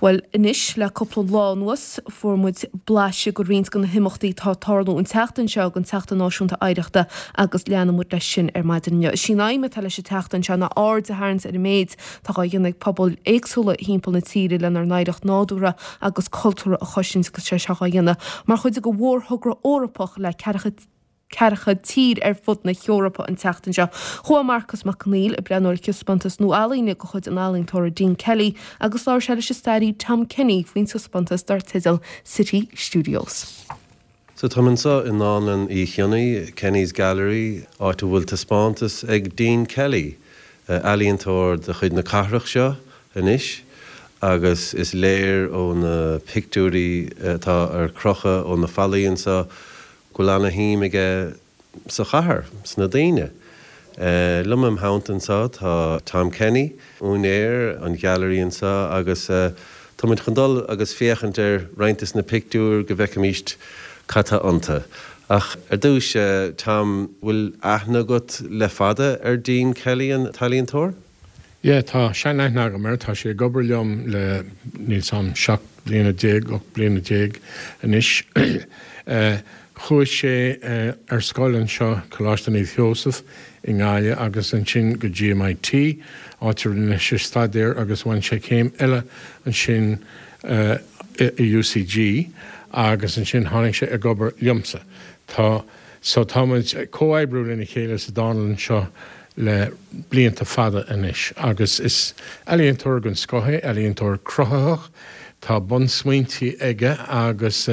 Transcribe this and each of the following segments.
Bhuel, anois, le cúpla lá anuas, fuair muid blaiseadh de roinnt de na himeachtaí atá ag tarlú an tseachtain seo don tSeachtain Náisiúnta Oidhreachta agus leanfaidh muid leis sin ar maidin inniu. Is í an aidhm atá leis an tseachtain seo ná aird a tharraingt ar an méid atá á dhéanamh ag pobail éagsúla thimpeall na tíre lenár n-oidhreacht nádúrtha agus cultúrtha a chosaint agus sé seo á dhéanamh mar chuid de mhórthogra Eorpach le ceathracha 40 tír ar fud na hEorpa an tseachtain seo. Chuaigh Marcus Mac Conghail ag breathnú ar thaispeántas nua ealaíne de chuid an ealaíontóra Dean Kelly agus labhair sé leis an staraí Tom Kenny faoin taispeántas dar teideal City Studios. So táim anseo i nDánlann Uí Chionnaith, Kenny's Gallery, áit a bhfuil taispeántas ag Dean Kelly, ealaíontóir de chuid na cathrach seo anois agus is léir ó na pictiúirí atá ar crochadh ó na fallaí anseo go bhfuil ana-shuim aige sa chathair, sna daoine. Liom im theannta anseo tá Tom Kenny, úinéir an ghailearaí anseo agus tá muid chun dul agus féachaint ar roinnt des na pictiúir go bhfeicfimíst cad tá iontu. Ach ar dtús, Tom, bhfuil aithne agat le fada ar Dean Kelly, an t-ealaíontóir? Yeah, tá sean-aithne agam air, tá sé ag obair liom le, níl 's a'm, 17 bliana, 18 bliana anois. Chuaigh sé ar scoil anseo, Coláiste Naomh Sheosamh i nGaillimh agus ansin go GMIT, áit a rinne sé staidéar agus bhain sé céim eile ansin i UCG agus ansin tháinig sé ag obair liomsa. Tá, so tá muid ag comhoibriú lena chéile sa dánlann seo le blianta fada anois agus is ealaíontóir den scoth é, ealaíontóir cruthaitheach, tá bunsmaointí aige agus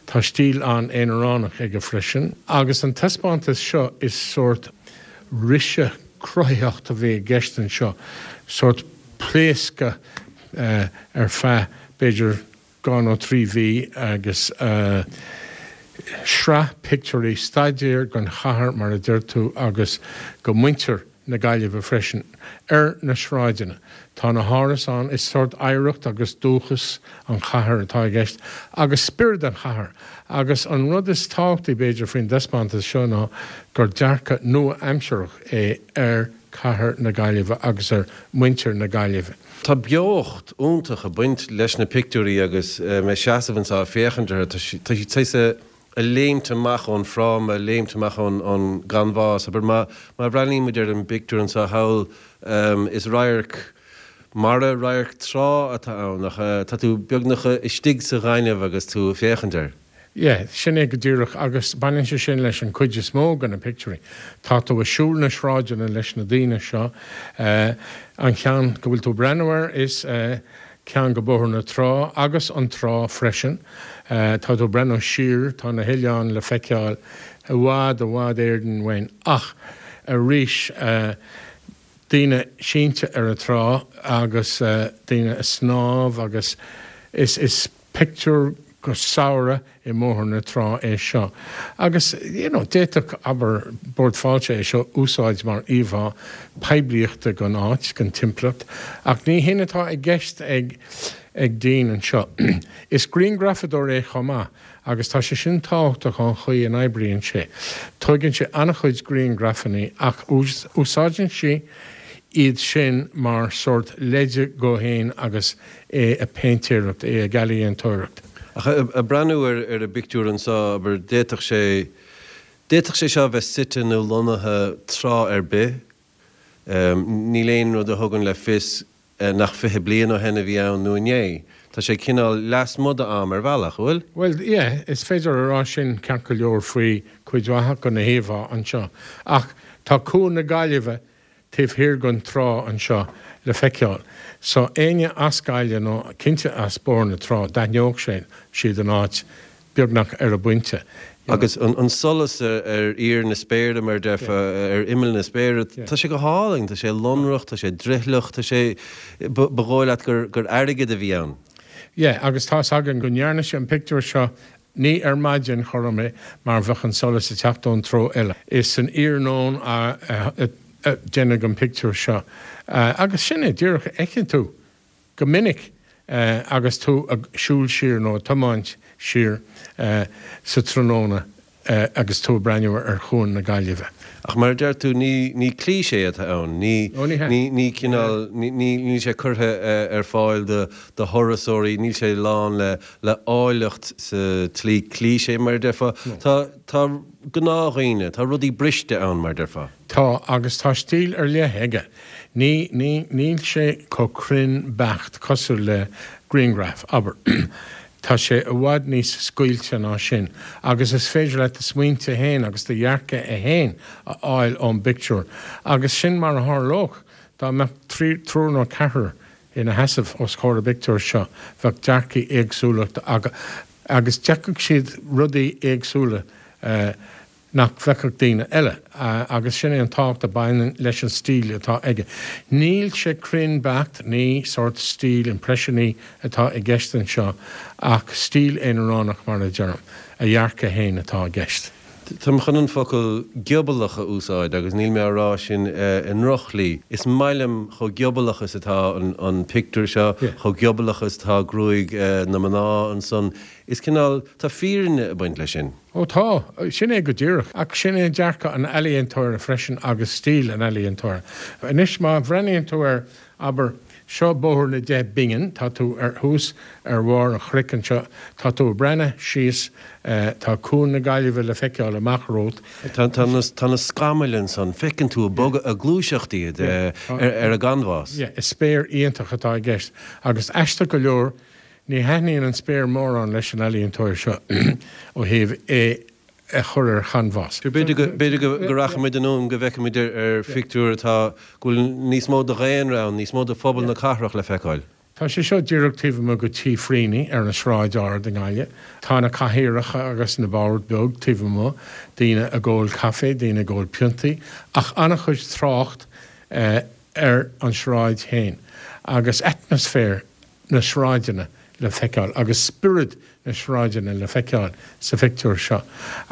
tá stíl an-aonaránach aige freisin. Agus an taispeántas seo is sórt briseadh cruthaitheachta a bhí i gceist anseo, sórt pléascadh ar feadh b'fhéidir 2 nó 3 mhí agus sraith pictiúirí, staidéar den chathair mar a deir tú agus go muintir na Gaillimhe freisin. Ar na sráideanna tá na hárasáin, is sórt oidhreacht agus dúchas an chathair atá i gceist agus spiorad an chathair agus an rud is tábhachtaí b'fhéidir faoin dtaispeántas seo ná gur dearcadh nua-aimsearach é ar cathair na Gaillimhe agus ar muintir na Gaillimhe. Tá beocht iontach ag baint leis na pictiúirí agus mé ag seasamh anseo ag féachaint orthu, tá siad saghas ag léimt amach ón fráma, ag léimt amach ón gcanbhás. Abair, má bhreathnaíonn muid ar an bpictiúr anseo thall, is radharc mara, radharc trá atá ann ach tá tú beagnach istigh sa ghaineamh agus tú ag féachaint air. Yeah, sin é go díreach agus baineann sé sin leis an cuid is mó de na pictiúirí. Tá tú ag siúl na sráideanna leis na daoine seo. An ceann go bhfuil tú ag breathnú air is ceann go Bóthar na Trá agus an trá freisin. Tá tú ag breathnú siar, tá na hoileáin le feiceáil i bhfad, i bhfad Éireann uainn. Ach arís, daoine sínte ar an trá agus daoine ag snámh agus is, is pictiúr go samhradh i mBóthar na Trá é seo. Agus you know d'fhéadfadh, abair, Bord Fáilte é seo úsáid mar íomhá poiblíochta gon áit, gon timpeallacht, ach ní shin atá i gceist ag ag Dean anseo. Is grianghrafadóir é chomh maith agus tá sé sin tábhachtach ón chaoi a n-oibríonn sé. Tóigeann sé an-chuid grianghrafannaí ach úsáideann sé iad sin mar sórt leide dhó fhéin agus é ag péintéireacht, é ag ealaíontóireacht. Ach ag breathnú ar an bpictiúr anseo, abair, d'fhéadfadh sé, d'fhéadfadh sé seo a bheith suite nó lonnaithe tráth ar bith. Níl aon rud a thugann le fios nach 20 bliain ó shin a bhí ann nó inné. Tá sé cineál lasmuigh d'am ar bhealach, an bhfuil? Bhuel, yeah, is féidir a rá sin ceart go leor faoi cuid mhaith de na híomhá anseo. Ach tá Cuan na Gaillimhe taobh thiar den trá anseo le feiceáil. So éinne as Gaillimh nó cinnte as Bóthar na Trá d'aithneodh sé, siad an áit beagnach ar an bpointe. Agus an solas ar íor na spéire, mar a déarfá, ar imeall na spéire, tá sé go hálainn, tá sé lonrach, tá sé drithleach, tá sé, ba dhóigh leat gur airgead a bhí ann. Yeah, agus tá's againn go ndearna sé an pictiúr seo Ní ar maidin chothrom é mar bheadh an solas ag teacht ón treo eile. Is san iarnóin a deineadh an pictiúr seo. Agus sin é díreach a fheiceann tú go minic agus tú ag siúl siar nó ag tiomáint siar sa tráthnóna. Agus tú ag breathnú ar Chuan na Gaillimhe. Ach mar a deir tú, ní ní cliché atá ann, ní Ó, ní hea. ní ní cineál, ní ní níl sé curtha ar fáil do do thurasóirí, níl sé lán le le áilleacht sa tslí cliché, mar a déarfá. Tá tá gnáthdhaoine, tá rudaí briste ann, mar a déarfá. Tá, agus tá stíl ar leith aige. Ní, ní, níl sé chomh cruinn beacht cosúil le grianghraf, abair. Tá sé i bhfad níos scaoilte ná sin, agus is féidir leat do smaointe fhéin agus do dhearcadh fhéin a fháil ón bpictiúr. Agus sin mar a tharlódh dá mbeadh triúr nó ceathrar ina sheasamh os comhair an bpictiúir seo, bheadh dearcaí éagsúla acu agus d'fheicfeadh siad rudaí éagsúla. nach bhfeicfeadh daoine eile, agus sin é an tábhacht a bhaineann leis an stíl atá aige. Níl sé cruinn beacht, ní sórt stíl impreisiúnaí atá i gceist anseo ach stíl aonaránach mar a deirim, a dhearcadh fhéin atá i gceist. Táim chun an focal giobalach a úsáid agus níl mé á rá sin i ndrochshlí. Is maith liom chomh giobalach is atá an pictiúr seo, chomh giobalach is atá gruaig na mná ansan. Is cineál, tá fírinne ag baint leis sin. Ó tá, sin é go díreach. Ach sin é dearcadh an ealaíontóra freisin agus stíl an ealaíontóra. Anois má bhreathnaíonn tú ar, abair, seo Bóthar na nDeich bPingin, tá tú ar thuas ar bharr an chnoic anseo, tá tú ag breathnú síos, tá Cuan na Gaillimhe le feiceáil amach romhat. Tá, tá na, tá na scamaill ansan, feiceann tú ag bogadh, ag gluaiseacht iad ar an gcanbhás. Yeah, is spéir iontach atá i gceist. Agus aisteach go leor, Ní thaitníonn an spéir mórán leis an ealaíontóir seo ó thaobh é a chur ar chanbhás. B'fhéidir go rachaimid anonn go bhfeicfimid ar phictiúr atá, go bhfuil níos mó de dhaonra ann, níos mó de phobal na cathrach le feiceáil. Tá sé seo díreach taobh amuigh de Tí Freeny ar an Sráid Ard i nGaillimh. Tá na cathaoireacha agus na boird beag taobh amuigh, daoine ag ól caife, daoine ag ól piontaí, ach an-chuid trácht ar an sráid féin agus atmaisféar na sráideanna le feiceáil agus spiorad na sráideanna le feiceáil sa phictiúr seo.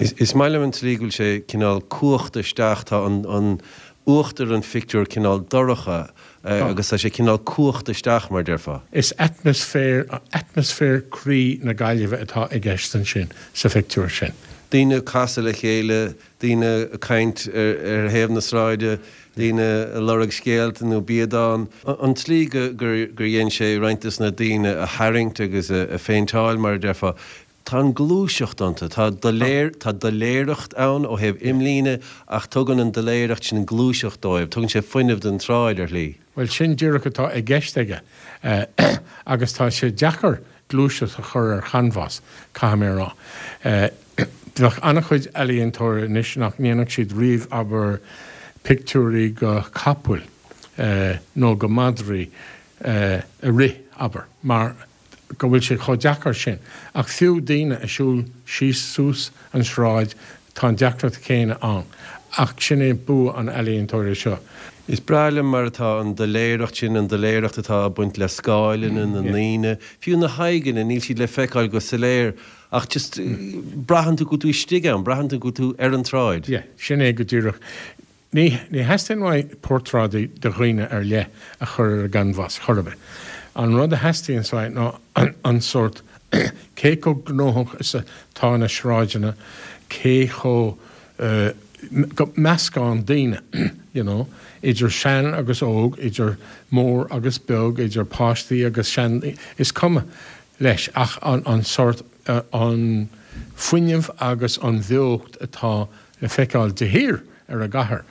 Is maith liom an tslí go bhfuil sé cineál cuachta isteach, tá an uachtar an phictiúir cineál dorcha agus tá sé cineál cuachta isteach mar a déarfá. Is atmaisféar, atmaisféar croí na Gaillimhe atá i gceist ansin sa phictiúr sin. Daoine ag casadh le chéile, daoine ag caint ar thaobh na sráide, daoine ag lorg scéalta nó biadán. An tslí gur dhein sé roinnt dos na daoine a tharraingt agus a phéinteáil, mar a déarfá, tá an gluaiseacht iontu. Tá tá doiléireacht ann ó thaobh imlíne ach tugann an doiléireacht sin gluaiseacht dóibh, tugann sé fuinneamh don tsráid ar shlí. Bhuel, sin díreach atá i gceist aige agus tá sé deacair gluaiseacht a chur ar chanbhás, caithfidh mé a rá. Bheadh an-chuid ealaíontóirí anois nach ndéanfadh siad riamh, abair, pictiúirí go capaill nó go madraí ag rith, abair, mar go bhfuil sé chomh deacair sin. Ach fiú daoine ag siúl síos suas an sráid, tá an deacracht chéanna ann. Ach sin é bua an ealaíontóra seo. Is breá liom mar atá an doiléireacht sin, an doiléireacht atá ag baint le scáileanna na ndaoine, fiú na haghaidheanna, níl siad le feiceáil go soiléir ach just braitheann tú go bhfuil tú istigh ann, braitheann tú go bhfuil tú ar an tsráid. Yeah, sin é go díreach. Ní theastaíonn uaidh portráidí de dhaoine ar leith a chur ar an gcanbhás chor ar bith. An rud a theastaíonns uaidh ná an sórt, cé chomh gnóthach is atá na sráideanna, cé chomh, meascán daoine, you know, idir sean agus óg, idir mór agus beag, idir páistí agus sean, is cuma leis ach an sórt, an fuinneamh agus an bheocht atá le feiceáil de shíor ar an gcathair.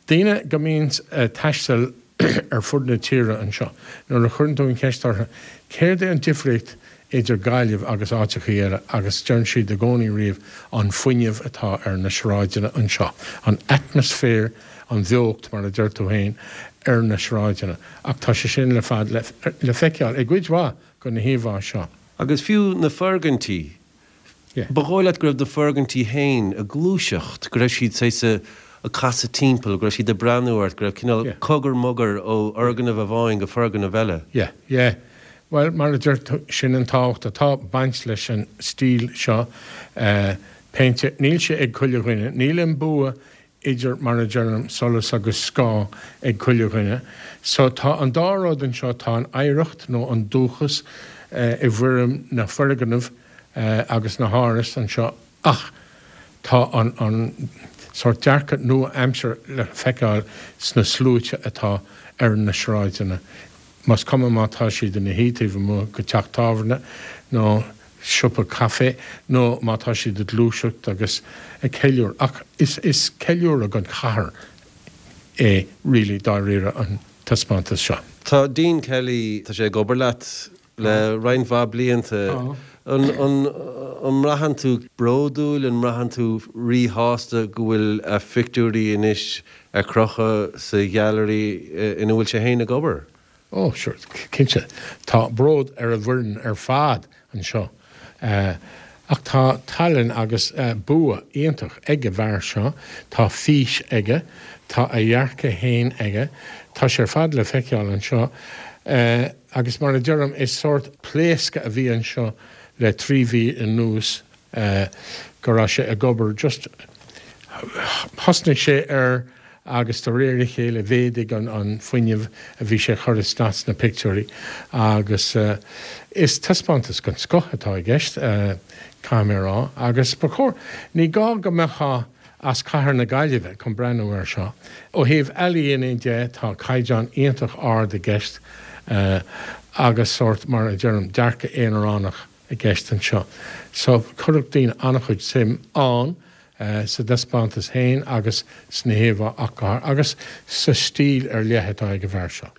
Daoine go mbíonns ag taisteal ar fud na tíre anseo, nuair a chuireann tú an cheist orthu céard é an difríocht idir Gaillimh agus áiteachaí eile agus deireann siad i gcónaí riamh an fuinneamh atá ar na sráideanna anseo, an atmaisféar, an bheocht mar a deir tú féin, ar na sráideanna. Ach tá sé sin ar fad le feiceáil i gcuid mhaith de na híomhá seo. Agus fiú na foirgintí, Ba dhóigh leat go raibh na foirgintí féin ag gluaiseacht, go raibh siad saghas ag casadh timpeall, go raibh siad ag breathnú ort, go raibh cineál cogar mogar ó fhoirgneamh amháin go foirgneamh eile. Yeah, yeah. Bhuel, mar a deir tú, sin an tábhacht atá ag baint leis an stíl seo péinte. Níl sé ag chuile dhuine. Níl an bua idir, mar a deirim, solas agus scáth ag chuile dhuine. So tá an dá rud anseo, tá an oidhreacht nó an dúchas i bhfoirm na foirgneamh agus na háras anseo ach. Tá an an sórt dearcadh nua-aimseartha le feiceáil sna sluaite atá ar na sráideanna, más cuma má tá siad ina shuí taobh amuigh de teach tábhairne nó siopa caife nó má tá siad ag gluaiseacht agus ag ceiliúradh. Ach is is ceiliúradh don chathair é really dáiríre an taispeántas seo. Tá Dean Kelly, tá sé ag obair leat le roinnt mhaith blianta. An mbraitheann tú bródúil, an mbraitheann tú ríshásta go bhfuil a phictiúirí anois ar crochadh sa ghailearaí ina bhfuil sé féin ag obair? Ó, sure, cinnte. Tá bród ar an bhfoireann ar fad anseo. Ach tá tallann agus bua iontach ag an bhfear seo, tá fís aige, tá a dhearcadh féin aige, tá sé ar fad le feiceáil anseo. Agus mar a deirim, is sórt pléascadh a bhí anseo le 3 mhí anuas go raibh sé ag obair just thosnaigh sé air agus de réir a chéile mhéadaigh an fuinneamh a bhí sé a chur isteach sna pictiúirí agus is taispeántas den scoth atá i gceist, caithfidh mé a rá. Agus ba chóir, ní gá go mbeifeá as cathair na Gaillimhe chun breathnú air seo. Ó thaobh ealaíne de tá caighdeán iontach ard i gceist agus sórt, mar a deirim, dearcadh aonaránach i gceist anseo. So chuirfeadh daoine an-chuid suim ann sa dtaispeántas féin agus sna híomhá ach go háirithe agus sa stíl ar leith atá ag an bhfear seo.